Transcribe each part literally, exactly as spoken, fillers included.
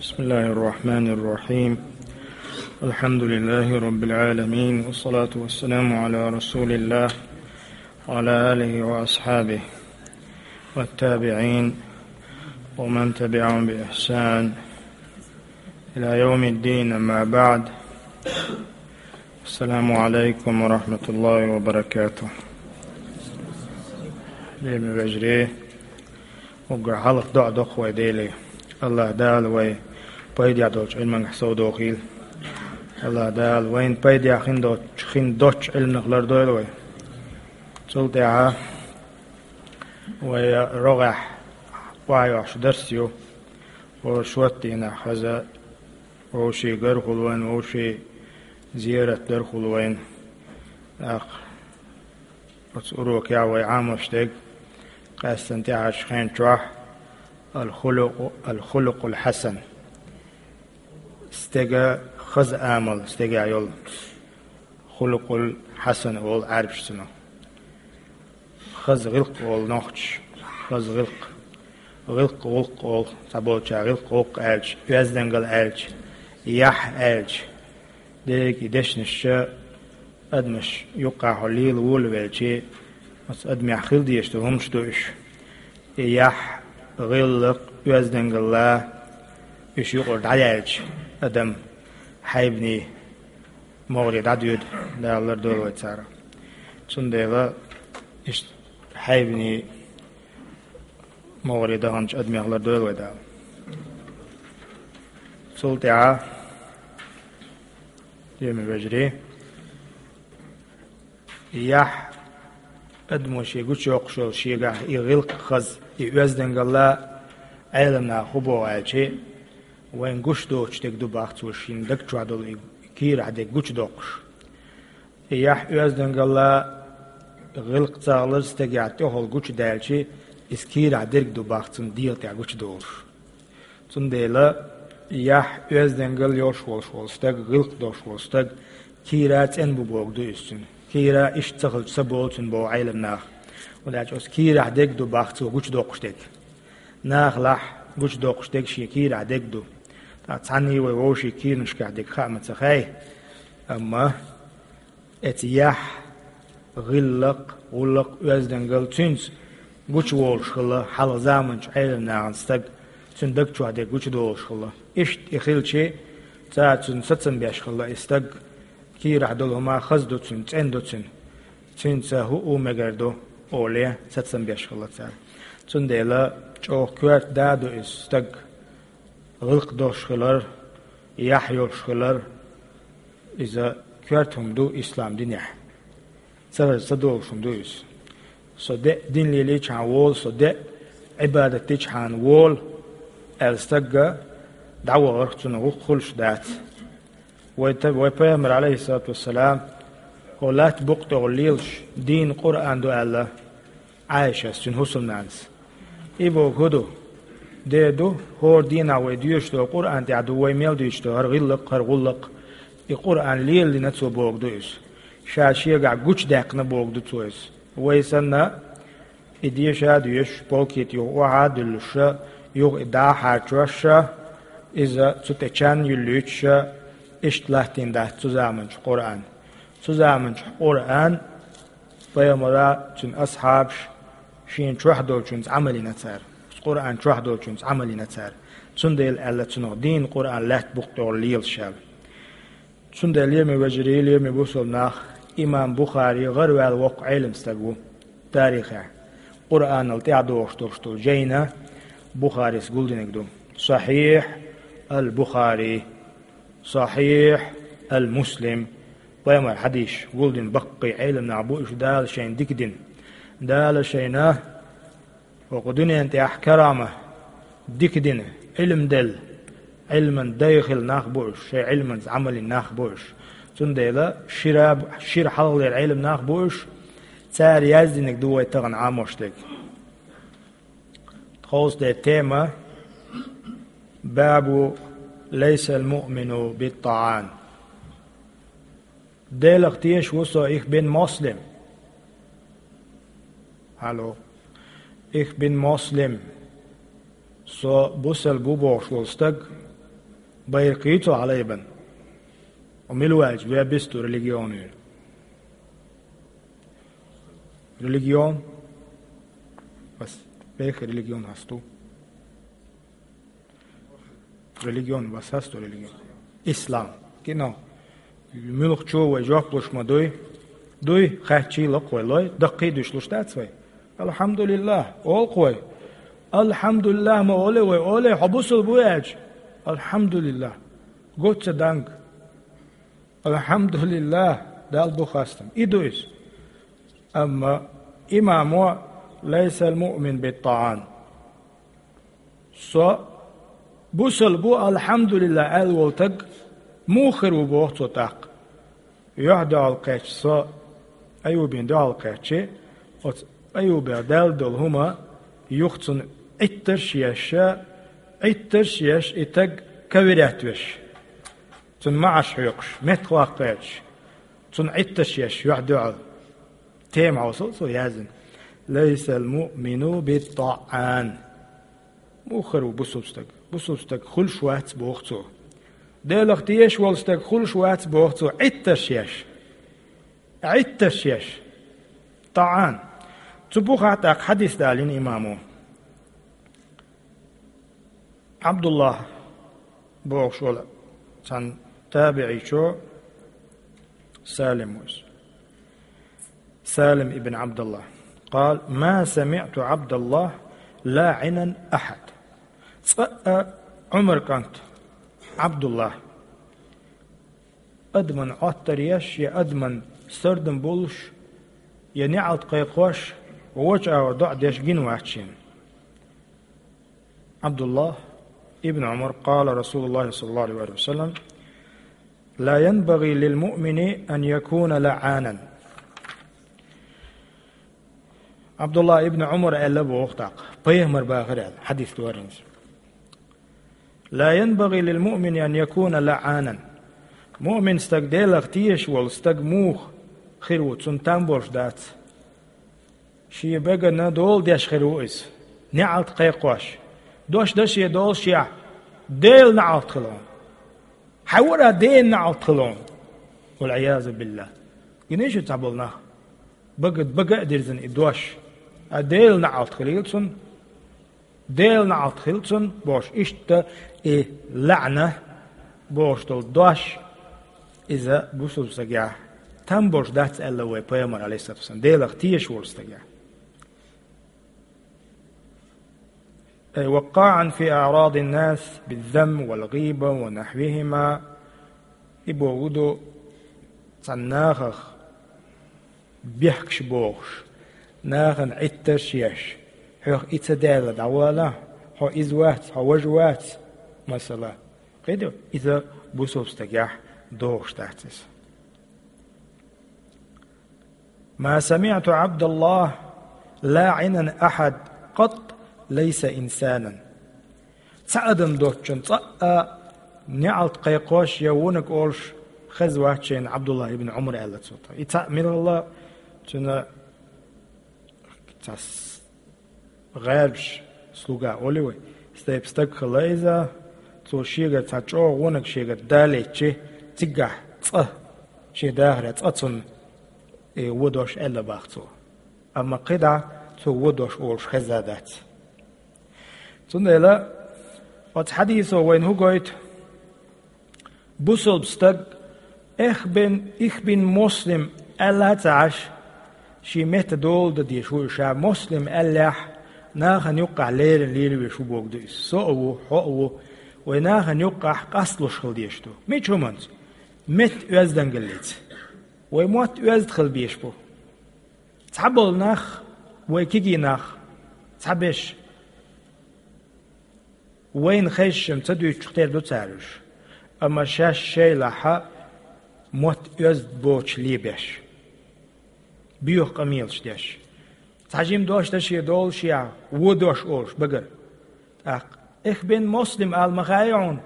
بسم الله الرحمن الرحيم. الحمد لله رب العالمين، والصلاة والسلام على رسول الله وعلى آله وأصحابه والتابعين ومن تبعهم بإحسان إلى يوم الدين، أما بعد. السلام عليكم ورحمة الله وبركاته. Лераме вежарий, уггар хьалха доӀа доккху вай Деле. АллахӀ Дала вай пайдехь долчу Ӏилманах совдохийла. АллахӀ Дала вайна пайдехь хин доцчу, хин доцчу Ӏилманах лардойла вай. Цул тӀаьхьа вай рогӀехь охьайохьуш дарс ю. Вовшийн дийнахь хаза, вовшийн гар хуьлу вайн, вовшийн зерат дар хуьлу вайн. ТӀаккха оцу урокехь вай Ӏамош дерг, къаьстина тӀаьхьарчу хен чохь, ал-хулукъу-, ал-хулукъул хьасан. Стеган хаза амал, стегехь йолу. Хулукъул хьасан олу Ӏаьрбаша цунах. Хаза гӀиллакх олу нохчаша, хаза гӀиллакх. ГӀиллакх, гӀуллакх олу, цхьаболчара гӀиллакх, гӀуллакх аьлча, оьздангалла аьлча, яхь аьлча. Дерриг и дешнаш адамаш юккъехь лела волавелча, оцу адамехь хила дезаш долу хӀуманаш ду уьш. И яхь, гӀиллакх, оьздангалла, уьш юкъара дӀаяьлча, адам хьайбанийн могӀаре дӀадоьду, Дала лардойла вай царах. Цундела иштта хьайбанийн могӀаре даханчу адамех лардойла вай Дала. Цул тӀаьхьа, лераме вежарий, яхь, адамо шен гучуйоккхуш йолу шегахь и гӀиллакх, хаза, и оьздангалла, Ӏеламнаха хӀун боху аьлча, вайн гуш доцуш дерг ду боху цо шен даг чохь долу и кийрахь дерг гучудоккхуш. И яхь, оьздангалла, гӀиллакх, ца гӀалара стегехь тӀехула гучудаьлча, иза кийрахь дерг ду боху цунна дегӀа тӀехь гучудолуш. Цундела яхь, оьздангалла йолуш волуш волу стаг, гӀиллакх долуш волу стаг кийра цӀена бу бохург ду иза цуьнан. Кийра иштта ца хилча ца болу цуьнан боху Ӏеламнаха. ХӀунда аьлча оцу кийрахь дерг ду боху цо гучудоккхуш дерг. Нахалахь гучудоккхуш дерг шен кийрахь дерг ду. Ткъа цхьанний вай вовшийн кийранашкахь дерг хаа ма ца хаьа. Амма оцу яхь, гӀиллакх, гӀуллакх, оьздангалла цуьнца гучуволуш хилла хьалха заманчу Ӏеламнахана стаг, цуьнан даг чохь дерг гучудолуш хилла. Иштта и хилча, цара цунна сацам беш хилла и стаг, кийрахь долу хӀума хаза ду цуьнан, цӀена ду цуьнан. Цуьнца хӀуъу мегар ду, олий, сацам беш хилла цара. Цундела чӀогӀа коьрта да ду иза стаг, гӀиллакх долуш хилар, яхь йолуш хилар, иза коьрта хӀума ду ислам динехь. Ца хеза ца долуш хӀума ду иза. Со де дин лелийчхьана волу, со де Ӏибадат дичхьана волу, аьлла стагга дӀавахарх цунах гӀуллакх хуьлуш дац. Вай та-, вай Пайхамар, алейхиссалату вассалам, хӀо латта букъа тӀехула лелаш дийна Къуръан ду аьлла Ӏайшас, цуьнан хӀусамнанас. И боху хӀун ду? Де ду, хӀора дийнахь вай доьшуш долу Къуръан тӀехь ду вай мел дуьйцуш долу хӀара гӀиллакх, хӀара гӀуллакх. И Къуръан лелийна цо боху ду иза. Ша шегахь гучудаьккхина боху ду цо иза. Вай санна, и деша а доьшуш, полкита юха охьа а дуьллуша, юха и дӀа а хьарчоша, иза цу тӀе чан юьллуьйтуша, иштта латтийна дац цу заманчу Къуръан. Цу заманчу Къуръан Пайхамара, цуьнан асхьабаш шена чохь долчуьнца Ӏамал йина цара. Къуръан чохь долчуьнца Ӏамал йина цара. Цундела аьлла цунах дийна Къуръан латта букъа тӀехула лелаш аьлла. Цундела, лераме вежарий, лераме бусалба нах, имам Бухари гӀараваьлла воккха Ӏелам стаг ву тарихехь. Къуръанал тӀаьхьадогӀуш долуш долу жайна Бухарис гулдинарг ду. Сахьихь ал-Бухари, Сахьихь ал-Муслим, пайхамар хьадийсаш гулдина баккхий Ӏелам нах бу уьш, Дала шайна дика дина. Дала шайна хӀокху дуьнен тӀехь карама дика дина, Ӏилм делла, Ӏилман дай хила нах бу уьш, шайн Ӏилманца Ӏамал йина нах бу уьш. Цундела шира, шира хьалхалера Ӏелам нах бу уьш, цара яздинарг ду вай тахана Ӏамош дерг. Тховсде тема: «Бабу лайсал муъмину бит-таӀан». Делах теша ву со, их бин Муслим. Алло. Их бин Муслим. Со бусалба ву бохуш волу стаг, Байракх йий цо хьалаайбенна? Ӏо мила ву аьлча, веб йисту религион вийр. Религион? Вас бехк религион хьасту. Религион, вас хьасту религион? Ислам. Кино. Муьлххачо вай жоп луш ма дуй? Дуй, хаьттача лакхвай лой, даккхий дуьш луш дац вай? Алхьамдулиллах, олу-кх вай. Алхьамдулиллах ма олий вай, олий, хьо бусулба ву аьлча. Алхьамдулиллах. Гуд ца данг. Алхьамдулиллах, Далла бу хастам. И ду иза. Амма имамо: «Лайсал муъмин бит-таӀан». Со бусулба ву, алхьамдулиллах аьлла волу стаг муха хир ву, боху цо тӀаккха. Юьхь-дуьхьал кхаьчча, со Аюбина дуьхьал кхаьчча, оцу Аюбех даьлла долу хӀума юха цунна Ӏиттарш а еш, Ӏиттарш а еш, и стаг каверят веш, цунна маӀаш хьоькхуш, меттахваккха гӀерташ, цунна Ӏиттарш а еш, юьхь-дуьхьал. Тема хьовсал цо яздина: «Лайсал муъмину бит-таӀан». Муха хир ву бусулба стаг? Бусулба стаг хуьлуш вац, боху цо. Делах тешаш волу стаг хуьлуш вац, боху цо, Ӏиттарш а еш. Ӏиттарш а еш. ТаӀан. Цу бухахь тӀаккха хьадис далийна имамо. Ӏабдуллах бохуш волу цхьана табиӀичо Салим ву иза. Салим ибн Ӏабдуллах. Къала: «Ма самиӀту Ӏабдаллах лаӀинан ахьад». Цкъа а Ӏумар кӀант Ӏабдуллах адаман Ӏоттар еш, я адаман сардам болуш, я неӀалт кхайкхош, вочу агӀор доӀа деш гина вац шена. Ӏабдуллах ибн Ӏумар, къала Расулуллахи саллаллаху алейхи ва саллам: «Ла янбагӀи лил муъмини ан якуна лаӀанан». Ӏабдуллах ибн Ӏумар аьлла боху тӀаккха, пайхамар бахара аьлла, хьадис дорийна иза. «Ла янбагӀи лил муъмини ан якуна лаӀанан». Муъмин стаг, Делах тешаш волу стаг муха хир ву, цунна там болуш дац. Шен бегана дола деш хир ву иза, неӀалт кхайкхош. Дош дан шен долушехь, Делан неӀалт хила хьуна. Хьан вара Делан неӀалт хила хьуна? Вал-Ӏиязу биллах. Гиний шу цхьаболу нах? Бага, бага а дирзина и дош. А Делан неӀалт хилийла цунна. Делан неӀалт хила цунна, бохуш, иштта и лаӀна бохуш долу дош, иза бусулба стагехь там болуш дац аьлла вай пайхамар, алейхиссалату вассалам, Делах тешаш волу стагехь. Ай, «вакъаӀан фи аърадин нас биззам вал гӀиба ва нахвихима». И боху ду цхьана нахах бехкаш бохуш, нахана Ӏиттарш еш, хьох и ца даьлла дӀавала, хьо иза вац, хьо важа вац, масала. Кхиду, иза бусулба стагехь догӀуш дац иза. «Ма самиӀту Ӏабдаллах лаӀинан ахьад къат лайса инсанан». Цхьа адам доцчунна цкъа а неӀалт кхайкхош я вониг олуш хезна вац шена Ӏабдуллах ибн Ӏумар, аьлла цо. И цхьаъ милла цуьнан цхьа с-, гӀербаш, слуга олий вай. Стайпа стаг хилла иза, цо шегара цхьа чӀогӀа вониг шегара далийчи, цигахь цкъа, шен дахарехь цкъа цунна и вон дош аьлла бах цо. Амма кхидӀа цо вон дош олуш хезна дац. Цундела оцу хьадисо вайна хӀун гойту? Бусулба стаг «Эх бен, их бин Муслим» аьлла а ца Ӏаш, шен метта дола дан дезаш ву и ша. Муслим аьллехь, нахана юккъахь леррина лелавеш ву бохург ду иза. Со а ву, хьо а ву, вай нахана юккъахь къасталуш хила дезаш ду. Мича хӀуманца? Метта оьздангаллица. Вай мотт оьзда хила безаш бу. Цхьаболу нах, вай кегий нах, цхьаберш, вайна хезча-м ца дуьйцуш тера ду цара уьш, амма шаьш шайлахь мотт оьзда боцуш лебеш, боьха къамелаш деш. Цхьа жима дош дан шен долушехь, вон дош олуш багара. ТӀаккха «Эх бен Муслим» ала ма хаьий хьуна?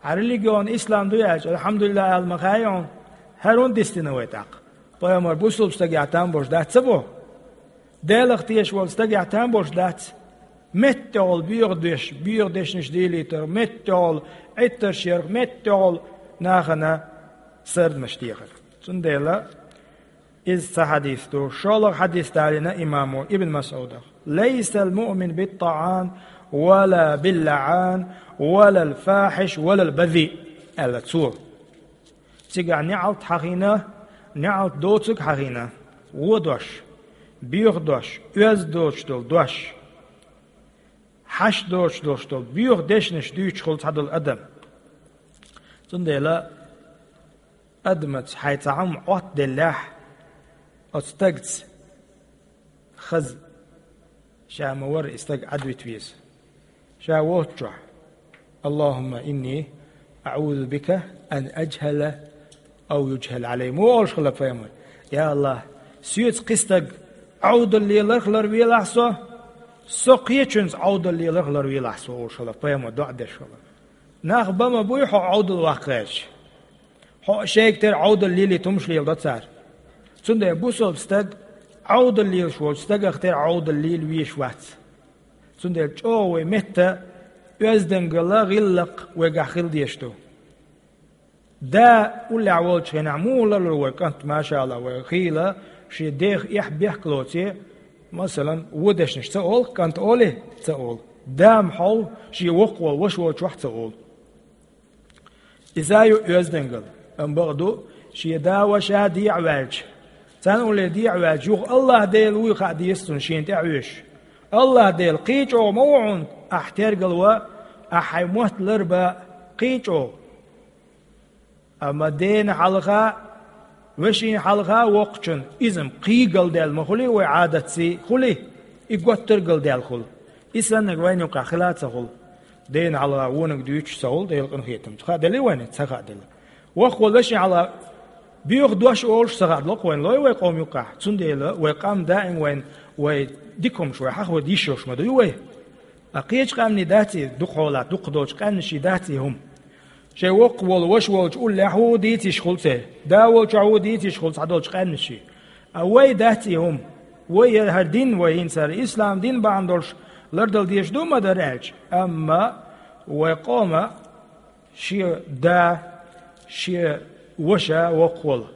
Хьан религион ислам ду аьлча, «Алхьамдулиллах» ала ма хаьий хьуна? ХӀара хӀунда дистина вай тӀаккха? Пайхамар бусулба стагехь там болуш дац ца боху? Делах тешаш волу стагехь там болуш дац? МеттаӀолла боьха деш, боьха дешнаш дийлийтар, меттаӀолла Ӏиттарш яр, меттаӀолла нахана сардамаш дехар. Цундела из цхьа хьадис ду. ШоллагӀа хьадис далийна имамо Ибн МасӀудах: «ليس المؤمن بالطعان ولا باللعان ولا الفاحش ولا البذيء», — аьлла цо. Цигахь неӀалт хьахийна, неӀалт доцург хьахийна, вон дош, боьха дош, оьзда доцуш долу дош, хьашт доцуш долуш долу боьха дешнаш дуьйцуш хуьлу цхьадолу адам. Цундела адамаца хьайн цхьа хӀума Ӏоттаделлехь, оцу стагца хаза ша ма-варра и стаг Ӏадвита веза. Ша воцучохь: «اللهم إني أعوذ بك أن أجهل أو يجهل علي», — ма олуш хилла пайхамар. «Я АллахӀ, соьца кхин стаг Ӏовдал леларх ларвелахь со, со кхечуьнца Ӏовдал леларх ларвелахь со», — олуш хилла пайхамар, доӀа деш хилла. Нах бан ма буй хьо Ӏовдал ваккха гӀерташ. Хьо шайга тера Ӏовдал лелийта хӀумаш леладо цара. Цундела бусалба стаг Ӏовдал лелаш волчу стагах тера Ӏовдал лела везаш вац. Цундела чӀогӀа вай метта оьздангалла, гӀиллакх вайгахь хила дезаш ду. Да уллехь волчу хенахь муха ларлур вай кӀант, машаАллахӀ, вай хийла шен дех эхь-бехк лоций, масалан, вон дешнаш ца олу, кӀант олий, ца олу. Да-м хьовха, шен воккхаволу ваша волчохь ца олу. Иза ю оьздангалла, амма бакъду, шен да-ваша дехьаваьлча, царна улле дехьаваьлча, юха АллахӀ-Дела вуй хаа деза цунна шена тӀе а вуьйш. АллахӀ-Дела кхин чӀогӀа ма ву хьуна ахь тергал ван, ахь хьайн мотт ларбан кхин чӀогӀа. Амма дена хьалха, вешина хьалха воккхачун иза-м кхин галдаьлла ма хуьлий, вай Ӏадатций хуьлий, и готтар галдаьлла хуьлу. И саннарг вайна юкъахь хила а ца хуьлу. Дена хьалха вониг дуьйцуш ца хуьлу, Делан къинхетамца. Хааделлий вайна? Ца хааделла. Воккхаволу вешина хьалха боьха дош олуш ца хааделла-кх вайна, лой вай къоман юкъахь. Цундела вай къам даим вайна, вай дика хӀумаш вай хьахаварда йиш йолуш ма дуй вай. Ткъа кхечу къаьмнийн даций, дукха хьолахь, дукха долчу къаьмнийн даций хӀума? Шайн воккхаволу ваша волчу уллехь ву дийца йиш хуьлу церан, да волчохь ву дийца йиш хуьлу цхьадолчу къаьмнийн. Ткъа вай даций хӀума? Вай я хӀара дин, вай хӀинца хӀара ислам дин бахьана долуш лардала дезаш ду ма-дарра аьлча. Амма вай къоман шен да, шен ваша воккхаволу,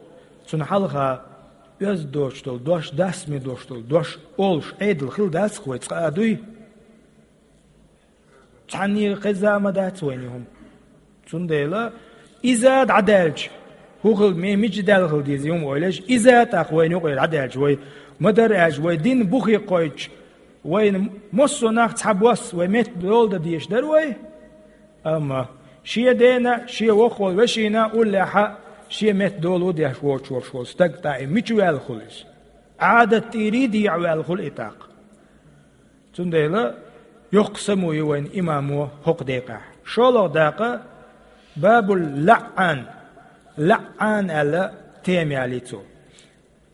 цунна хьалха оьзда доцуш долу дош, дасме доцуш долу дош олуш Ӏедал хила дац-кх вай цкъа а дуй? Цхьанне а хезна ма дац вайна и хӀума. Цундела иза дӀадаьлча, хӀун хила, ме-, мича даьлла хила деза и хӀума ойла еш, иза тӀаккха вайна юкъара дӀадаьлча, вай ма-дарра аьлча, вай дин бухе кхойтча, вайна массо а нах цхьабосса вай метта дола дан дезаш дара вай. Амма шен дена, шен воккхаволу вешина уллехь а шен метта дола деш воцуш волуш волу стаг тӀаккха и мича ваьлла хуьлу иза? Ӏадат тӀера дехьаваьлла хуьлу и тӀаккха. Цундела йоккха само ю вайна имамо хӀокху декъехь. ШолгӀа дакъа бабул лаӀан. ЛаӀан аьлла тема ялий цо.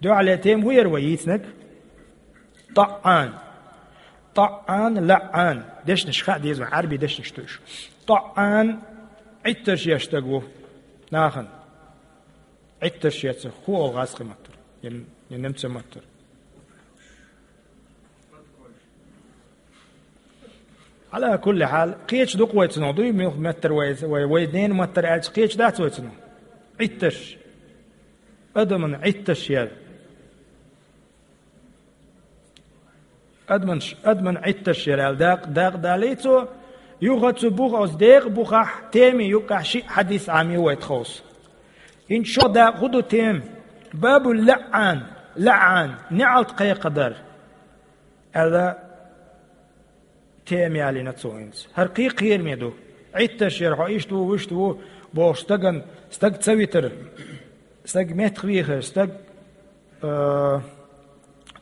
Дуьхьале тема хӀун яра вай йийцинарг? ТаӀан. ТаӀан, лаӀан. Дешнаш хаа деза вайн, Ӏарбийн дешнаш ду уьш. ТаӀан Ӏиттарш еш стаг ву нахана. Ӏиттарш еш, хӀун олу гӀазкхийн маттара? Я, я немцойн маттара? Ӏала кулли хьал, кхечу дукха вай цунах дуй, муьлха меттара вай, вай, вай ден маттара аьлча, кхечу дац вай цунах. Ӏиттарш. Адаман Ӏиттарш яра. Адаман, адаман Ӏиттарш яра аьлла дакъа, дакъа далий цо, юха цу буха, оцу декъа бухахь, теми юккъехь шиъ хьадис Ӏамий вай тховса. ХӀинца шо дакъа хӀун ду тема? Бабу лаӀан, лаӀан, неӀалт кхайкхадар. Аьлла, тема ялийна цо хӀинца. ХӀара кхин кхераме ду. Ӏиттарш яра, хьо иштта ву, вуьшта ву, бохуш стаган, стаг ца витар, стаг меттахвийхар, стаг, а,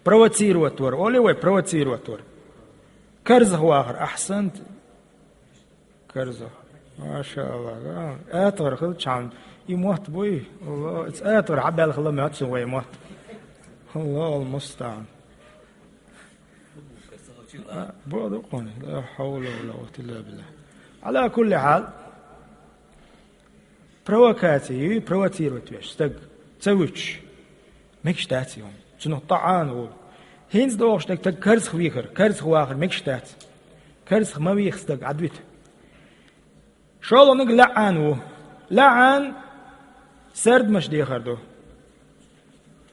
провоцировать вар, олий вай, провоцировать вар. Карзах вахар, ахьсант. Карзах. Маша АллахӀ. А, атагӀар хила чхьан. И мотт буй? Алло, ица атагӀар хьабаьлла хила моьтту вай мотт. Аллахул мустаӀан. А, бо ду кхуьнан. Ла хьавла ва ла къуввата илла биллахӀ. Ӏала кулли хьал. Провокаци ю, провоцировать веш стаг ца вуьтуш. Мегаш дац и хӀума. Цунах таӀан волу. ХӀинца дохуш дерг стаг карзах вихар, карзах вахар мегаш дац. Карзах ма вийха стаг, Ӏадвита. ШолгӀаниг лаӀан ву. ЛаӀан сардамаш дехар ду.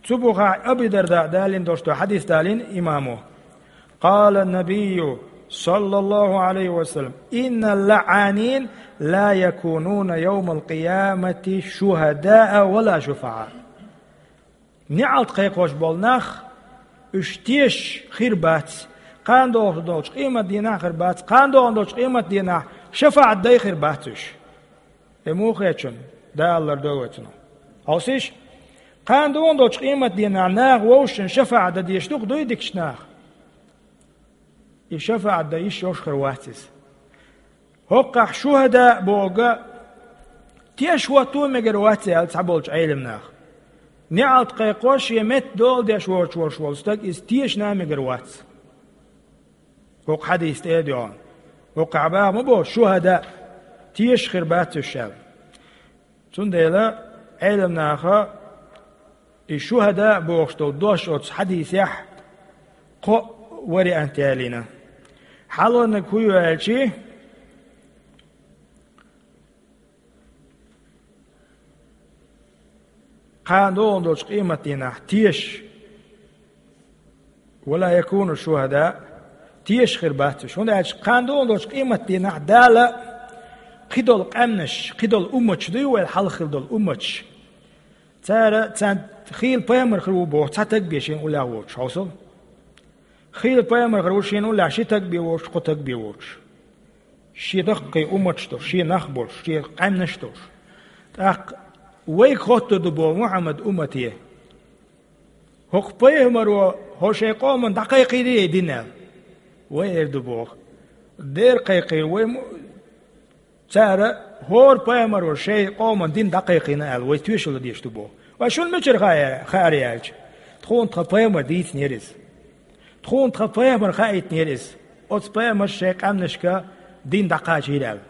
Цу бухахь Аби Дарда далийна долуш долу хьадис далийна имамо. قال النبي صلى الله عليه وسلم: إن اللعانين لا يكونون يوم القيامة شهداء ولا شفعاء. НеӀалт кхайкхош болу нах, уьш тешаш хир бац, кхана догӀуш долчу къематдийнахь хир бац, кхана догӀун долчу къематдийнахь шафаӀат дай хир бац уьш. И муха хеташ ду, Дала лардойла вай цунах. Хьовсийша, кхана догӀун долчу къематдийнахь наха вовшашна шафаӀат дан дезаш ду-кх, дуй, дикачу наха? И шафаӀат дан йиш йолуш хир вац иза. ХӀокхахь шухӀада бохург тешаш хӀотто мегар вац аьлла цхьаболчу Ӏеламнаха. НеӀалт кхайкхош, шен метта дола деш воцуш волуш волу стаг иза тешаш а мегар вац. ХӀокху хьадиса тӀе а доьгӀна. ХӀокхахь баха ма боху шухӀада, тешаш хир бац уьш аьлла. Цундела Ӏеламнаха и шухӀада бохуш долу дош оцу хьадисехь кхо вариант ялийна. Хьалхарниг хӀун ю аьлчи, кхана догӀун долчу къематдийнахь тешаш, ولا يكونوا شهداء, тешаш хир бац уьш. ХӀунда аьлча кхана догӀун долчу къематдийнахь Дала кхидолу къаьмнаш, кхидолу умматаш дуй вай, хьалха хилла долу умматаш. Цара, царна хийла пайхамар хир ву боху цхьа таг бен шена уллехь воцуш, хьовсал. Хийла пайхамар хир ву шена уллехь ши таг бен воцуш, кхо таг бен воцуш. Шен даккхий умматаш долуш, шен нах болуш, шен къаьмнаш долуш. ТӀаккха вайга хоттур ду боху Мухьаммад уммате: «ХӀокху пайхамаро хӀо шайн къоман дӀакхайкхийрий и дин?» – аьлла. Вай эр ду боху: «Дера кхайкхийра вай мо-, цара, хӀора пайхамаро шайн къоман дин дӀакхайкхийна», – аьлла, вай тоьшалла деш ду боху. Ва шуна мичара хаа-, хаарий аьлча, тхуна тхан пайхамар дийцинера иза. Тхуна тхан пайхамар хаийтинера иза. Оцу пайхамарша шайн къаьмнашка дин дӀакхачийра аьлла.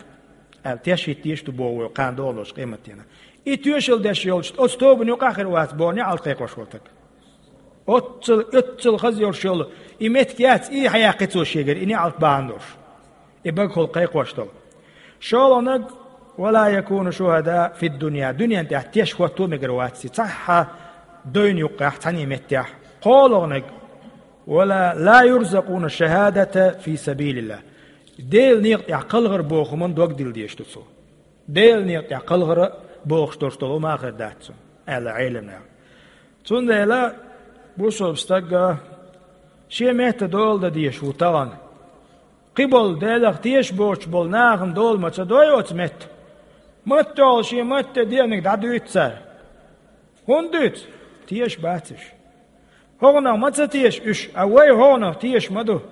Аьлла, теш хӀиттийш ду боху вай кхана догӀун долчу къематдийнахь. И тоьшалла деш йолчу оцу тобанна юкъахь хир вац боху неӀалт кхайкхош волу стаг. Оццул, оццул хаза йолуш йолу и меттиг яц, и хьаяккхи цо шегара, и неӀалт бахьана долуш. И багахула кхайкхош долу. ШолгӀаниг: «ولا يكونوا شهداء في الدنيا», дуьнен тӀехь теш хӀотто мегар вац и, цхьа а дойна юккъехь, цхьаьна меттехь. КхоалгӀаниг: «ولا، لا يرزقون الشهادة في سبيل الله». Делан некъа тӀехь кхалхар боху хӀуманна дог дилла дезаш ду цо. Делан некъа тӀехь кхалхара бохуш долуш долу хӀума хир дац цунна, аьлла Ӏеламнаха. Цундела бусалба стага шен метта дола дан дезаш ву тахана. Кхин болу Делах тешаш боцуш болу нахана дола ма ца дой оцу метта. Маттахула шен метта деаниг дӀадуьйцу цара. ХӀунда дуьйцу? Тешаш бац уьш. ХӀокхунах ма ца теша уьш, а вай хӀокхунах тешаш ма ду.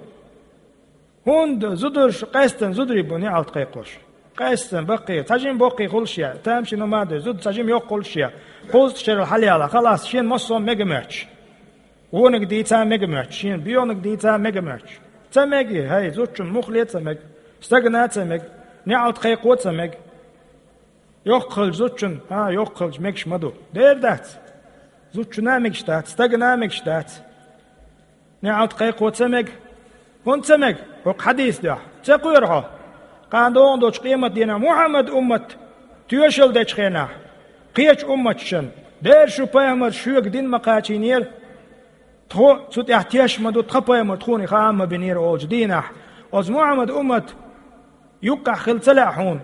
ХӀунда зударша къаьстина зударий бу неӀалт кхайкхош? Къаьстина баккхий, цхьа жима боккхий хуьлуш я, тамашийна ма дой, зуда цхьа жима йоккха хуьлуш я, кхузткъа шерал хьалаяла, халас, шена массо а мега моьттуш. Вониг дийца а мега моьттуш, шена боьханиг дийца а мега моьттуш. Ца мега, хӀай, зудчун муххале а ца мега, стагана а ца мега, неӀалт кхайкхо а ца мега. Йоккха хилча зудчун, а, йоккха хилча мегаш ма ду. Дера дац. Зудчунна а мегаш дац, стагана а мегаш дац. НеӀалт кхайкхо ца мега. ХӀунда ца мега? ХӀокху хьадиса дуьхьа. Ца кхоьру хьо? Кхана догӀун долчу къематдийнахь Мухьаммад уммат тоьшалла дечу хенахь, кхечу умматашна: «Дера шу пайхамар шуьга дин ма кхачийнера. Тхо цу тӀехь теш ма ду, тхан пайхамар тхуна и хаа ма бинера», – олучу дийнахь, оцу Мухьаммад уммат юккъехь хила ца лаьа хьуна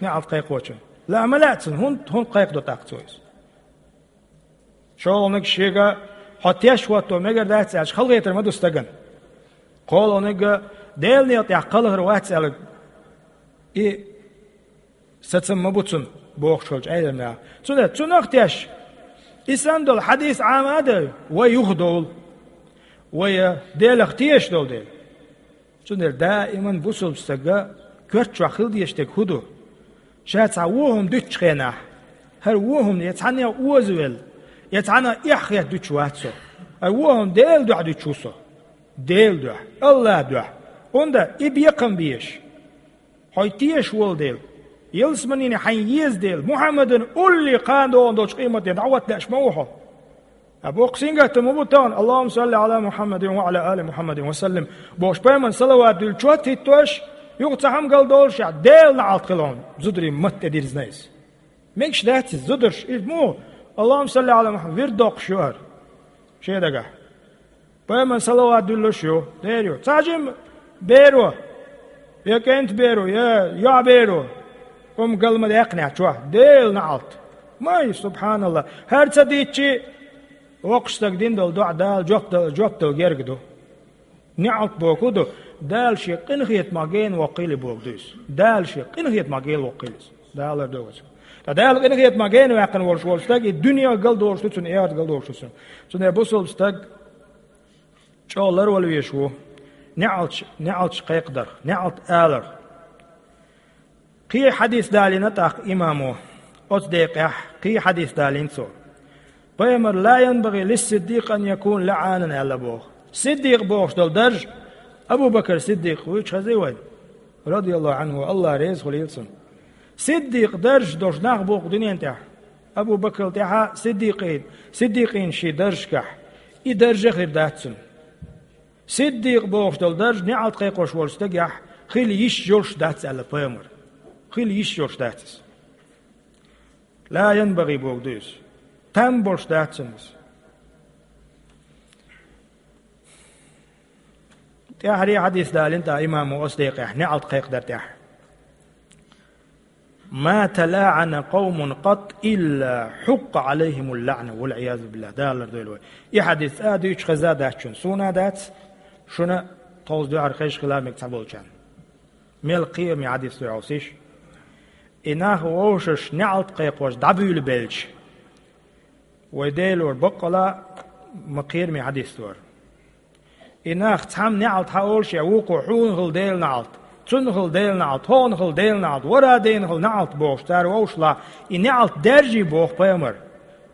неӀалт кхайкхочун? Лаа ма лаьа цунна, хӀунда, хӀунда кхайкхадо тӀаккха цо иза? ШолгӀаниг шега: «Хьо теш хӀотто мегар дац», – аьлча, халахетар ма ду стагана. КхоалгӀаниг: «Делан некъа тӀехь кхалхар вац», – аьлла, и сацам ма бу цунна, бохуш волчу Ӏеламнаха. Цундела цунах теш, и санна долу хьадис Ӏама а дай, вай юхадовла. Вай Делах тешаш долу дела. Цундела даиман бусалба стага коьрта чохь хила дезаш дерг хӀун ду? Ша цхьа вон хӀума дуьтучу хенахь, хӀара вон хӀума я цхьанна озавелла, я цхьанна эхь хетта дуьтуш вац со. ХӀара вон хӀума Делан дуьхьа дуьтуш ву со. Делан дуьхьа, АллахӀан дуьхьа. ХӀунда и бекхам безаш? Хьо тешаш волу дела, ялсаманина хьайна еза дела, Мухьаммадан улле кхана догӀун долчу къематдийнахь дӀахӀотта лаьаш ма ву хьо. А боккха сингаттам ма бу тахана: «Аллахумма салли Ӏала Мухьаммадин ва Ӏала али Мухьаммадин ва саллим», бохуш, пайхамарна салават дуьллу чот хӀиттош, юха цхьа хӀума галдолуш, я Делан неӀалт хила хьуна, зударийн матте дирзина иза. Мегаш дац иза, зударш, иза муха, «Аллахумма салли Ӏала Мухьаммад», вирд доккхуш ю хӀара шен дагахь. Пайхамарна салават дуьллуш ю, дера ю. Цхьа жима беро, я кӀентан беро, я йоӀан беро, хӀума гал ма даьккхинехь чохь, Делан неӀалт. Май, субхьаналлахӀ. ХӀара ца дийцчи, воккхачу стага дина долу доӀа Дала жоп дала, жоп дала герга ду. НеӀалт бохург ду, Дала шен къинхетамах гена воккхийла бохург ду иза. Дала шен къинхетамах гена воккхийла иза. Дала лардойла вайх. Ткъа Дала къинхетамах гена ваьккхина волуш волу стаг, и дуьне галдолуш ду цунна, и эхарт галдолуш ду цунна. Цундела бусалба стаг чӀогӀа ларвала везаш ву. НеӀалташ, неӀалташ кхайкхадарх, неӀалт аларх. Кхин хьадис далийна тӀаккха имамо. Оцу декъехь кхин хьадис далийна цо. Пайхамар: «Ла янбагӀи лиссиддикъ ан якуна лаӀанан», аьлла боху. Сиддикъ бохуш долу дарж Абу-Бакр Сиддикъ вуьйцуш хезий вайна? Радияллаху Ӏанху, Аллах реза хуьлийла цунна. Сиддикъ дарж долуш нах бу-кх дуьнен тӀехь. Абу-Бакрал тӀаьхьа сиддикъийн, сиддикъийн шен даржашкахь. И дарж а хир дац цуьнан. Сиддикъ бохуш долу дарж неӀалт кхайкхош волчу стагехь хила йиш йолуш дац аьлла пайхамар. Хила йиш йолуш дац иза. Ла янбагӀи бохург ду иза. Там болуш дац цуьнан иза. ТӀаьххьара хьадис далийна тӀаккха имамо оцу декъехь, неӀалт кхайкхадар тӀехь. «Ма талаӀана къавмун къатт илла хьукъкъа Ӏалайхимул лаӀна, вал Ӏиязу биллахӀ», Дала лардойла вай. И хьадис цкъа а дуьйцуш хезна дац шуна. Суна а дац, шуна тховса дуьхьал хезаш хила мега цхьаболчарна. Мел кхераме хьадис ду хьовсийша. И нах вовшашна неӀалт кхайкхош дӀабуьйлабелча, вай Делора баккъала а ма кхераме хьадис ду хӀара. И нах цхьамма неӀалт хьан олуш, я вукхо: «Хьуна хила Делан неӀалт, цунна хила Делан неӀалт, хьуна хила Делан неӀалт, вара дена хила неӀалт», бохуш, цара вовшахлахь, и неӀалт даьржий боху пайхамар.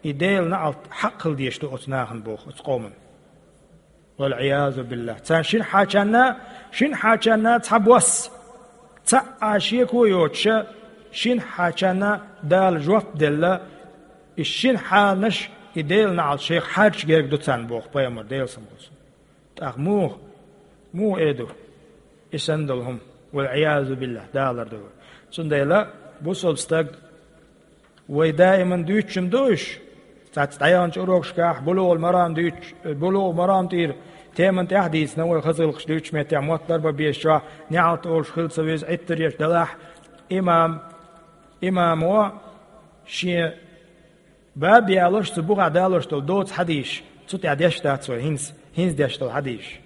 И Делан неӀалт хьакъ хила дезаш ду оцу нахана боху, оцу къомана. Вал Ӏиязу биллахӀ. Царна шина хьачанна, шина хьачанна цхьа бос, цхьа а шеко йоцуша, шина хьачанна Дала жоп делла, и шина хьанаш и Делан неӀалт шайх хьарча герга ду царна боху пайхамар, Делан салам хуьлда цунна. ТӀаккха муха, муха эр ду и санна долу хӀума? Вал Ӏиязу биллахӀ, Дала лардойла вай. Цундела бусалба стаг, вай даиман дуьйцуш-м ду уьш. Цхьацца дӀаяханчу урокашкахь БулугӀул Марам дуьйцуш, БулугӀул Марам тӀера теман тӀехь а дийцина вай, хаза гӀиллакхаш дуьйцучу меттехь, мотт ларбан безачохь неӀалт олуш хила ца веза, Ӏиттарш еш далахь, имам, имамо шен баб ялош, цу бухахь далош долу доцу хьадисаш, цу тӀехь деш дац вай, хӀинца, хӀинца деш долу хьадисаш.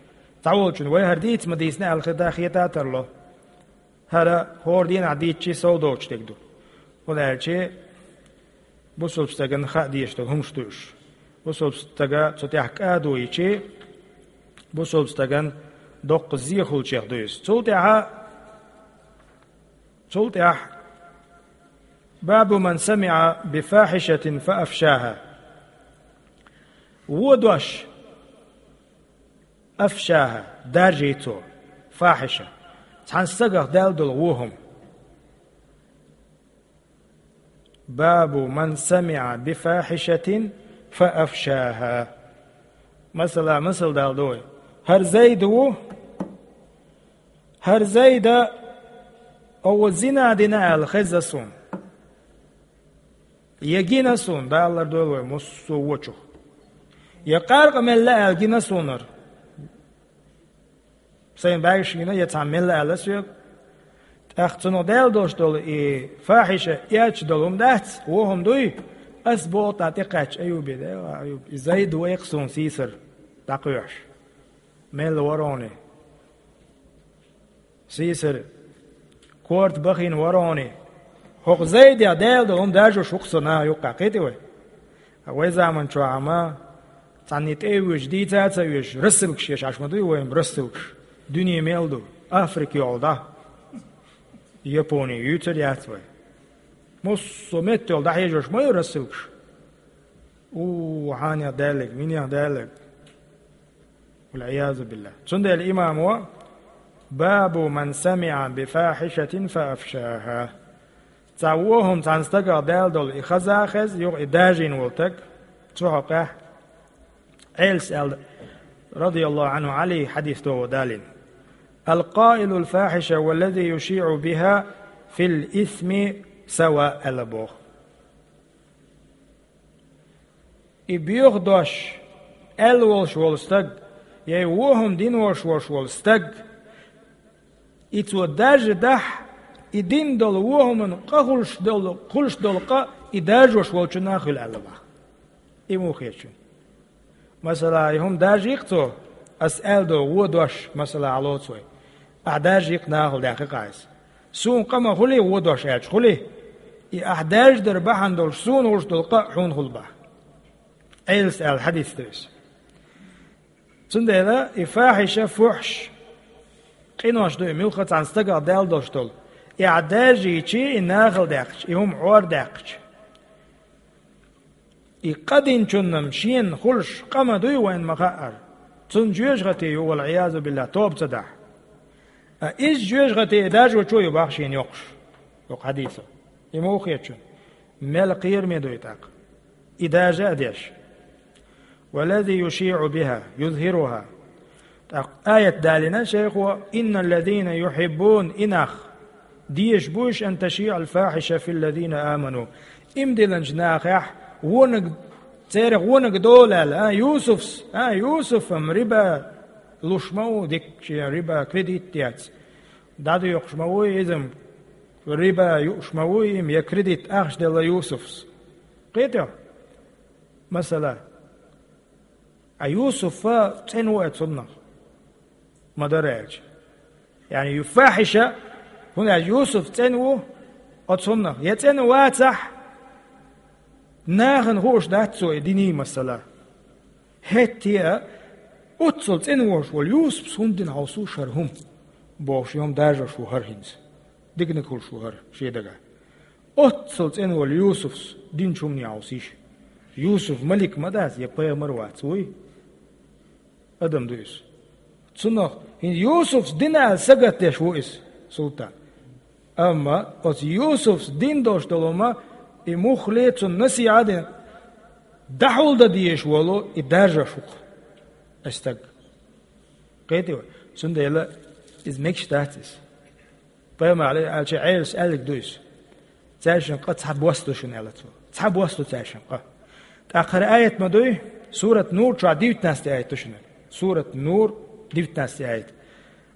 Цхьаволчунна вай хӀара дийца ма дийцина аьлла хета, хета а тарло. ХӀара хӀора дийнахь дийцчи сов доцуш дерг ду. ХӀунда аьлча бусалба стагана хаа дезаш долу хӀумаш ду уьш. Бусалба стага цу тӀехь кӀадо йичи, бусалба стагана доккха зе хуьлучех ду иза. Цул тӀаьхьа, цул тӀаьхьа: «Бабу ман самиӀа би фахьишатин фа афшаха». Вон дош, афшаха, даржий цо, фахьиша, цхьана стагах даьлла долу вон хӀума. «Бабу ман самиӀа би фахьишатин фа афшаха». Масала, масал далла ду вай. ХӀара Зайд ву, хӀара Зайда, оха зина дина аьлла хезна суна. Я гина суна, Дала лардойла вай, массо а вочух. Я къаркъа мелла аьлла гина суна хӀара. Сайн бӀаьргаш гина, я цхьамма мелла аьлла соьга. ТӀаккха цунах даьлла долуш долу и фахьиша эцаш долу хӀума дац, вон хӀума дуй? Ас боху тӀаккха тӀекхаьчча Аюбе: «Дела, Аюб, и Зайд ву-кх суна сийсара дӀакхоьхьуш. Мелла вара хьуна и? Сийсара корта бахийна вара хьуна и? ХӀокху Зайдех даьлла долу хӀума даржош ву-кх со наха юккъехь», кхетий вай? Вай заман чохь ма цхьанний тӀе а воьдуш, дийца а ца оьшуш, рассылкаш еш Ӏаш ма дуй вайн, рассылкаш. Дуьне мел ду, Африка йолу дӀа. Япони юьйцур яц вай. Массо а метта йолу дӀахьежош ма ю рассылкаш. У, хьанех даьллиг, минех даьллиг. Вал Ӏиязу биллахӀ. Цундела имамо: «Бабу ман самиӀа би фахьишатин фа афшаха». Цхьа вон хӀума цхьана стагах даьлла долу и хаза а хезна, юха и даржийна волу стаг, цу хьокъехь Ӏелас аьлла, радияллаху Ӏанху, Ӏали хьадис догӀу далин: «القائل الفاحشة والذي يشيع بها في الإثم سواء», аьлла боху. И боьха дош аьлла волуш волу стаг, я и вон хӀума дина волуш волуш волу стаг, и цо даржадахь, и дина долу вон хӀуманна къа хуьлуш долу, хуьлуш долу къа и даржош волчунна а хуьлу аьлла боху. И муха хета шуна? Масала, и хӀума даржий-кх цо, ас аьлла догӀу вон дош, масала, хьалоцу вай. Ахь даржий-кх, нахала даьккхи-кх ахь иза. Суна къа ма хуьлий вон дош аьлча, хуьлий? И ахь даржадар бахьана долуш суна хуьлуш долу къа хьуна хуьлу боху. Ӏелас аьлла хьадис ду иза. Цундела и фахьиша, фухьш къинош ду и, муьлхха цхьана стагах даьлла долуш долу. И ахь даржийча, и нахала даьккхича, и хӀума Ӏор даьккхича, и къа динчунна шена хуьлуш къа ма дуй вайна ма-хаъара. Цунна жоьжахати ю, вал-Ӏиязу биллахӀ, тоба ца дахь. Ткъа иза жоьжахати и даржочо ю боху шена йоккхуш. Йоккха хьадисо. И муха хета шуна? Мел кхераме ду и тӀаккха. И даржа а деш. «والذي يشيع بها يظهرها». ТӀаккха аят далийна шайхо: «إن الذين يحبون», и нах дезаш бу уьш, «أن تشيع الفاحشة في الذين آمنوا». Иман диллинчу нахехь вониг, церах вониг долу аьлла, а, Юсуфс, а, Юсуф-м риба луш ма ву дика, шен риба кредит дец. ДӀадоькхуш ма вуй иза-м, риба юуш ма вуй и-м, я кредит ахча делла Юсуфс. Кхетий хьо? Масала, а Юсуф цӀена ву оцуннах, ма-дарра аьлча. Яъни ю фахьиша, хӀунда аьлча Юсуф цӀена ву оцуннах. Я цӀена вацахь, нахана хууш дац цо и диний, масала. ХӀетте а, оццул цӀена волуш волу Юсуфс хӀунда дина хьовсуш хӀара хӀума? Бохуш, и хӀума даржош ву хӀара хӀинца. Диканиг хуьлуш ву хӀара шен дагахь. Оццул цӀена волу Юсуфс динчу хӀумане хьовсийша. Юсуф малик ма дац, я пайхамар вац, вуй? Адам ду иза. Цунах хӀинца Юсуфс дина аьлла сагатдеш ву иза, султан. Амма оцу Юсуфс дина долуш долу хӀума, и муххале цунна насихьа а дина, дӀахьулдан дезаш волу и даржош ву-кх и стаг. Кхетий вай? Цундела иза мегаш дац иза. Пайхамар аьлча, Ӏелас аьллиг ду иза. Цаьршинна къа цхьа бос ду шуна, аьлла цо. Цхьа бос ду цаьршинна къа. ТӀаккха хӀара аят ма дуй, сурат Нур чохь девятнадцатый аят ду шуна. Сурат Нур, девятнадцатый аят.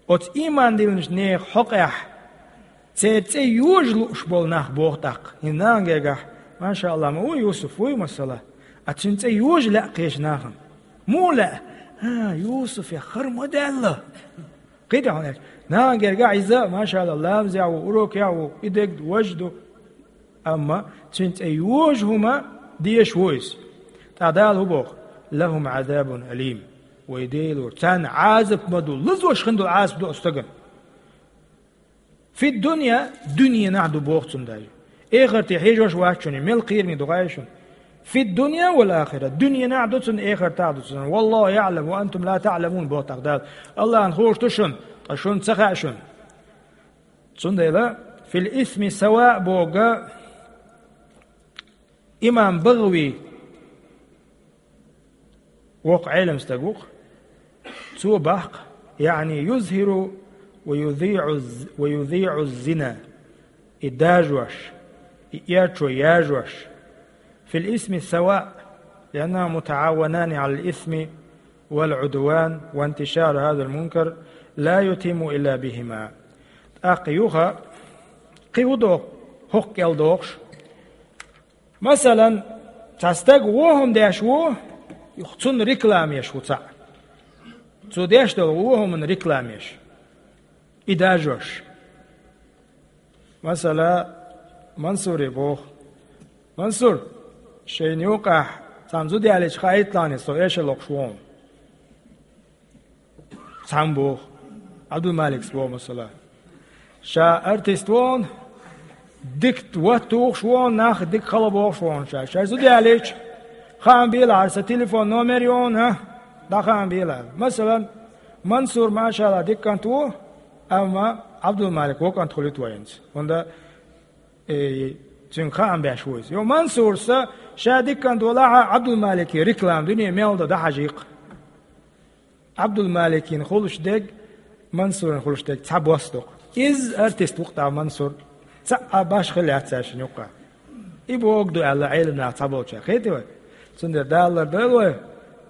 Оцу ийман диллинчу нехан хьокъехь церан цӀе йожа лууш болу нах боху тӀаккха. ХӀинца нахана гергахь, машаАллахӀ, ма ву Юсуф, вуй масала. А цуьнан цӀе йожа лаьа кхечу нахана. Муха лаьа? А, Юсуфех хӀара ма даьлла. Кхетий хьуна аьлча? Нахана гергахь иза, машаАллахӀ, ламазехь ву, урокехь ву, и дерг важа ду. Амма цуьнан цӀе йожа хӀума дезаш ву иза. ТӀаккха Дала хӀун боху? «لهم عذاب أليم». Вай Делора, царна Ӏазап ма ду, лазош хин долу Ӏазап ду оцу стагана. «في الدنيا», дуьненахь ду боху цунна даже. Эхарте хьежош вац шуна, мел кхераме ду хаий шуна. «في الدنيا والآخرة», дуьненахь ду цунна, эхартахь ду цунна. «والله يعلم وأنتم لا تعلمون», боху тӀаккха Дала. АллахӀна хууш ду шуна, ткъа шуна ца хаьа шуна. Цундела «في الإثم سواء» боху имам БагӀави, воккха Ӏелам стаг ву-кх. Цо боху, яъни «يظهر ويذيع الز-، ويذيع الزنا», и даржош, и эрчо яржош. «في الإثم سواء، لأنهما متعاونان على الإثم والعدوان، وانتشار هذا المنكر لا يتم إلا بهما». ТӀаккха юха кхин хӀун доху, хӀокху кӀел дохуш? Масалан, цхьа стаг вон хӀума деш ву, цунна реклама еш ву цхьаъ. Цо деш долу вон хӀуманна реклама еш. И даржош. Масала, Мансуре боху: «Мансур, шайна юкъахь цхьана зуда ялийча хаийталахьа, со эшар локхуш ву хьуна». Цхьамма боху, Ӏабдулмаликс боху, масала. Ша артист ву хьуна, дика ват тухуш ву хьуна, нах дика хала бохуш ву хьуна ша. Ша зуда ялийча, хаам белахьара, сан телефон номер ю хьуна, а? ДӀахаам белахьара. Масалан, Мансур, машаАллахӀ, дика кӀант ву, амма Ӏабдулмалик вон кӀант хуьлуьйту вайна. ХӀунда, э, Цуьнга хаам беш ву иза. Йо, Мансурса ша дикант валахьа Ӏабдулмалике реклама дуьне мел до дӀахьажийкх. Ӏабдулмаликин хуьлуш дерг, Мансурин хуьлуш дерг цхьа бос ду-кх. Иза артист ву-кх тӀаккха Мансур. Цхьа а баш хила яц цаьршинна юккъехь. И бохург ду аьлла Ӏелам наха цхьаболчара. Кхетий вай? Цундела Дала лардойла вай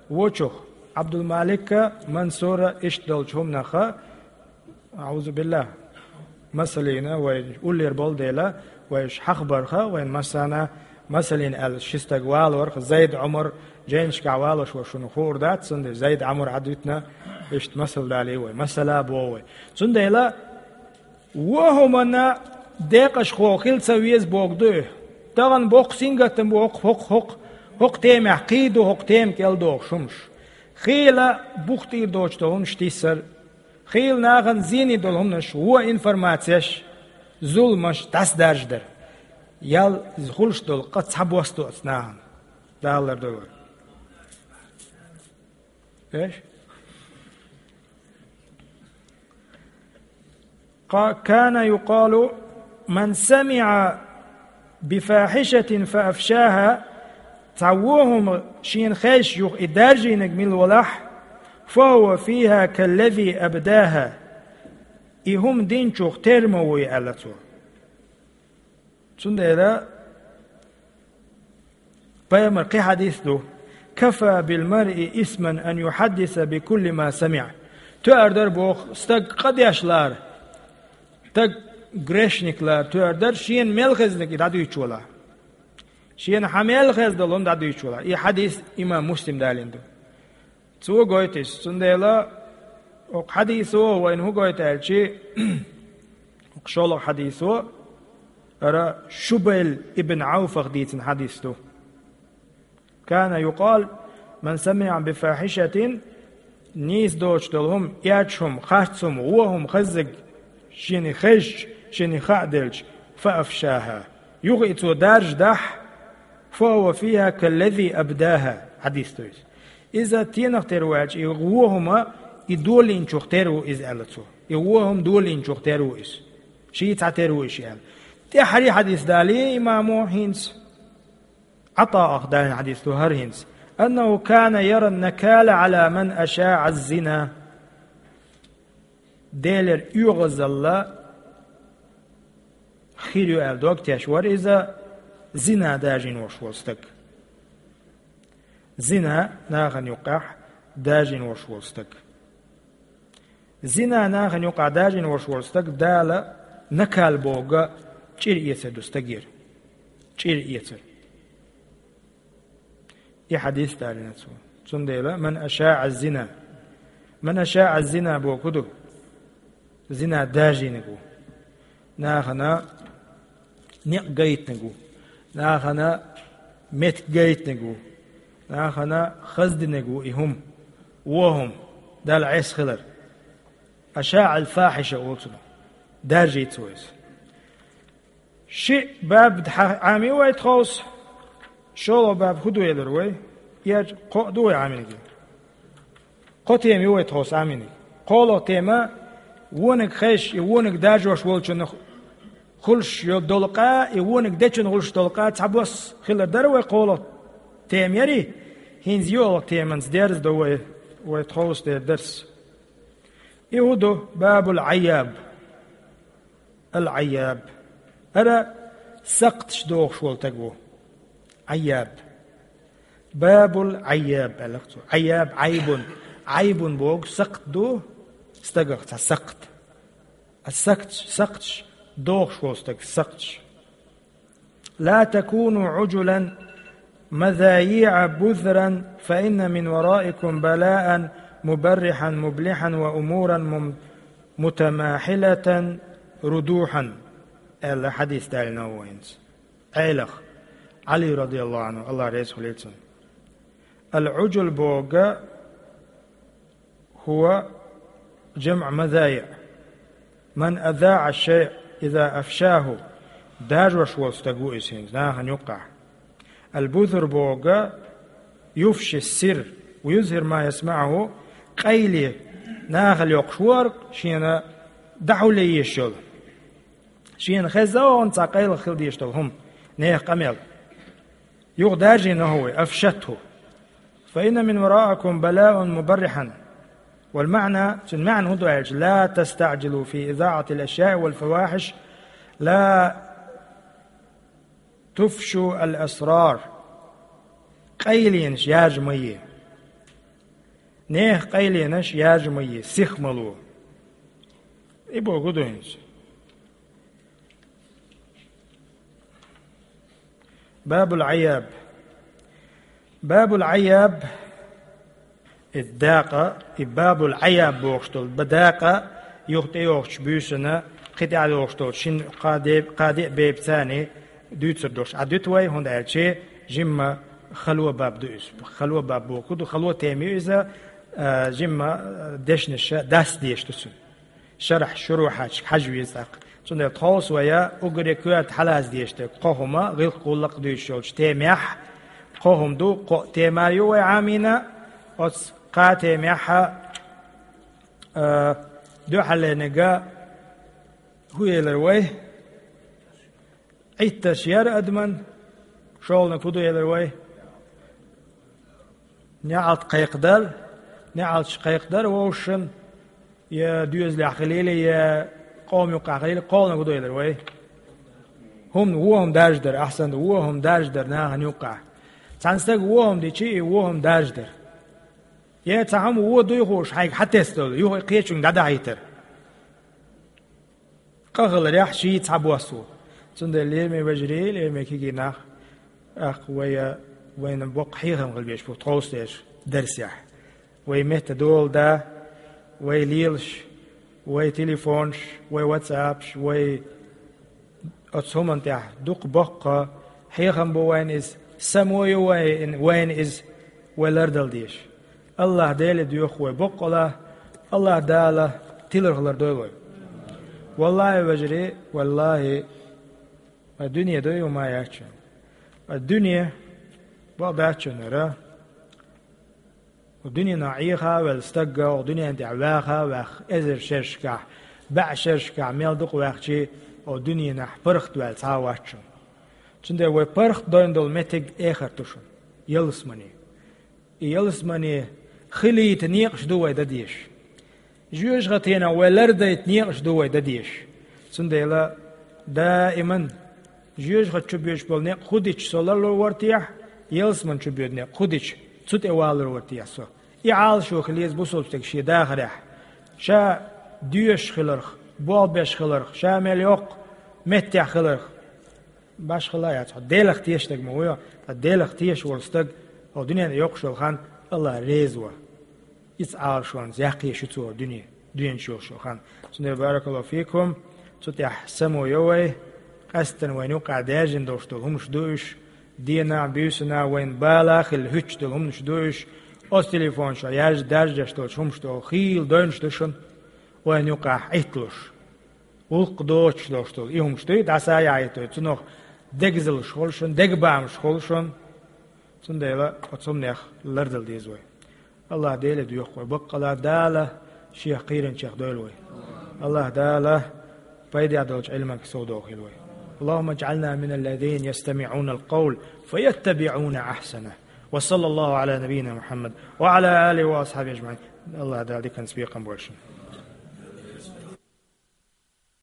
вочух. Ӏабдулмалика, Мансура иштта долчу хӀуманаха, аӀузубиллахӀ, масаллина вай уллера болу дела, вай уьш хьахабарха, вайн массарна масаллина аьлла, ши стаг валорха, Зайд, Ӏумар, жайнашкахь валош вара шуна хуур дац, цундела Зайд, Ӏумар Ӏадвитина, иштта масал далий вай, масала боху вай. Цундела вон хӀуманна декъашхо хила ца веза боху ду и. Тахана боккха сингаттам бу хӀокху, хӀокху, хӀокху, хӀокху темехь кхин ду хӀокху тема кӀел дохуш хӀумаш. Хийла бух тӀера доцуш долу хӀуманаш тиссар, хийла нахана зене долу хӀуманаш, вон информацеш, зуламаш дӀасадаржадар. Ял хуьлуш долу къа цхьа бос ду оцу нахана. Дала лардойла вай. Эш? Ка-, كان يقال: من سمع بفاحشة فأفشاها, цхьа вон хӀума шена хезча юха и даржийнарг мила валахь, فهو فيها كالذي أبداها, и хӀума динчух тера ма ву и, аьлла цо. Цундела пайхамар кхин хьадис ду: كفى بالمرء إثما أن يحدث بكل ما سمع. Тоьар дара боху, стаг къа деш лара, стаг грешник лара тоьар дара, шена мел хезнарг и дӀадуьйцуш валахь. Шена хьан мел хезна долу хӀума дӀадуьйцуш валахь. И хьадис имам Муслим далийна ду. Цо гойту иза. Цундела оцу хьадисо вайна хӀун гойту аьлчи, оцу шолгӀа хьадисо, ара Шубайл ибн Ӏауфах дийцина хьадис ду. كان يقال: من سمع بفاحشة, нийса доцуш долу хӀума, эча хӀума, харц хӀума, вон хӀума хеззиг, шена хезча, шена хаа делча, فأفشاها, юха и цо даржадахь, فهو فيها كالذي أبداها, хьадис ду иза. Иза стенах тера ву аьлча, и вон хӀума и долийначух тера ву иза, аьлла цо. И вон хӀума долийначух тера ву иза. Ший цхьа тера ву иза аьлла. ТӀаьххьара хьадис далий имамо хӀинца. ӀатаӀах далийна хьадис ду хӀара хӀинца: أنه كان يرى النكال على من أشاع الزنا. Делера оьгӀазалла хир ю аьлла дог теш вара иза зина даржийна волуш волу стаг. Зина нахана юккъехь даржийна волуш волу стаг. Зина нахана юккъехь даржийна волуш волу стаг Дала накал бохург чӀир эцар ду стагера. ЧӀир эцар. И хьадис далийна цо. Цундела: من أشاع الزنا. من أشاع الزنا бохург хӀун ду? Зина даржийнарг ву. Нахана некъ гайтинарг ву. Нахана меттиг гайтинарг ву. Нахана хаздинарг ву и хӀума. Вон хӀума. Далла Ӏеса хилар. أشاع الفاحشة олу цунах. Даржийна ву иза. Ши баб дӀа-, Ӏамий вай тховса? ШолгӀа баб хӀун ду элира вай? Эча кхоъ ду вай Ӏамийнарг? Кхо тема ю вай тховса Ӏамийнарг. КхоалгӀа тема: вониг хезча, и вониг даржош волчунна хуьлуш йо-, долу къа, и вониг дечунна хуьлуш долу къа цхьа бос хилар дара вай кхоалгӀа тема ярий? ХӀинца йоьалгӀа теманца дерзадо вай, вай тховса дерг дарс. И хӀун ду? باب العياب. العياب. ХӀара сакхташ дохуш волу стаг ву. Ӏайяб. باب العياب аьлла цо. Ӏайяб, Ӏайбун. Ӏайбун бохург сакхт ду, стагах цхьа сакхт. А сакхташ, сакхташ дохуш волу стаг, сакхташ. لا تكونوا عجلا مذايع بذرا فإن من ورائكم بلاء مبرحا مبلحا وأمورا مم-، متماحلة ردوحا. Аьлла хьадис далийна ву хӀинца. Ӏелах. Ӏали радияллаху Ӏанху, АллахӀ реза хуьлийла цунна. العجل бохург هو جمع مذايع. من أذاع الشيء إذا أفشاه. Даржош волу стаг ву иза хӀинца, нахана юккъехь. البذر бохург يفشي السر ويظهر ما يسمعه, къайле нахала йоккхуш ву хӀара, шена дӀахьулъе езаш йолу. Шена хезна вахана цхьа къайлаха хила дезаш долу хӀума. Нехан къамел. Юха даржийна хӀу вай, أفشته. فإن من ورائكم بلاء مبرحا. والمعنى, цун маьӀна хӀун ду аьлча: لا تستعجلوا في إذاعة الأشياء والفواحش، لا تفشوا الأسرار. Къайленаш яржа ма е. Нехан къайленаш яржа ма е, сиха ма ло. И боху ду хӀинца. باب العياب. باب العياب, и дакъа, и باب العياب бохуш долу, ба дакъа, юха тӀейогӀучу буьйсанна, кхин тӀаьхьа йогӀуш долчу шина кхаа де-, кхаа деа бепаца дуьйцур долуш Ӏа дуьту вай, хӀунда аьлча жимма хало баб ду иза. Хало баб боху ду, хало тема ю иза, а, жимма, а, дешнаша дас деш ду цуьнан. Шарахь шурухьачу хьажа веза тӀаккха. Цундела тховса вай уггаре коьрта хьалаца дезаш дерг кхо хӀума, гӀиллакх-гӀуллакх дуьйцуш йолчу темехь, кхо хӀума ду, кхо тема ю вай Ӏамийна, оцу кхаа темехь, а, дуьхьаллерниг хӀун элира вай? Ӏиттарш яра адаман, шолгӀаниг хӀун ду элира вай? НеӀалт кхайкхадар, неӀалташ кхайкхадар вовшашна, я доьзалехь хилийла, я къоман юккъехь хилийла, кхолгӀаниг хӀун ду элира вай? ХӀума, вон хӀума даржадар, ахьсанна, вон хӀума даржадар нахана юккъехь. Цхьана стага вон хӀума дичи, и вон хӀума даржадар. Я цхьа хӀума вон дуй хууш хьайга хьатесна долу, юха кхечуьнга дӀадахьийтар. Къа хиларехь ший цхьа бос ву. Цундела, лераме вежарий, лераме кегий нах, тӀаккха вай, вайна боккха хьехам хила безаш бу тховса дерш дарсехь. Вай метта дола да, вай лелаш, вай телефонаш, вай ватсапаш, вай оцу хӀуманна тӀехь дукха боккха хьехам бу вайна иза, само ю вайн-, вайна иза, вай лардала дезаш. АллахӀ Деле доьху вай боккъала, АллахӀ Дала тиларх лардойла вай. ВаллахӀи, вежарий, валлахӀи, а дуьне ду ю ма яц шуна. А дуьне бакъ дац шуна хӀара. О дуьненахь Ӏеха а велла стаг, о дуьнен тӀехь ваха а ваьхна, эзар шерашкахь, бӀе шерашкахь мел дукха ваьхчи, о дуьненахь паргӀатваьлла цхьа а вац шуна. Цундела вай паргӀатдойн долу меттиг эхарт ду шуна, ялсамани. И ялсамани хилийта некъаш ду вай дан дезаш. Жоьжахатенах вай лардайта некъаш ду вай дан дезаш. Цундела даиман жоьжахати чу боьдуш болу некъ хӀун дича со ларлур вара техьа, ялсамани чу боьду некъ хӀун дича цу тӀе валлур вара техьа со. И Ӏалашо хила еза бусалба стеган шен дахарехь. Ша доьшуш хиларх, болх беш хиларх, ша мел йоккха меттехь хиларх. Башхалла а яц, хьо Делах тешаш стаг ма ву, ткъа Делах тешаш волу стаг, хьо дуьненна йоккхуш йолу хан АллахӀ реза ву. Иза Ӏалашонца яккхийша ю цо дуьне, дуьнен чу йолуш йолу хан. Цундела, баракаллаху фикум, цу тӀехь само йо вай, къаьсттина вайна юккъехь даьржина долуш долу хӀумаш ду уьш, дийнахь, буьйсанна вайна бала а хилла хӀуьттуш долу хӀуманаш ду уьш, оцу телефон чохь яьржа даржадеш долчу хӀуманаш долу хийла дойнаш ду шуна, вайна юккъехь Ӏитталуш. Гӏуллакх доцуш долуш долу и хӀумаш дуй, дӀасаяхьийтур, цунах дегазаллаш хуьлу шуна, дегабаьхкаш хуьлу шуна. Цундела оцу хӀуманех лардала деза вай. АллахӀ Деле доьху вай баккъала, Дала Шех кхийринчех дойла вай. АллахӀ Дала пайде долчу Ӏилманга совдохийла вай. اللهم اجعلنا من الذين يستمعون القول فيتبعون أحسنه. وصلى الله على نبينا محمد وعلى آله وأصحابه أجمعين. АллахӀ Дала диканца бекхам бойла шуна.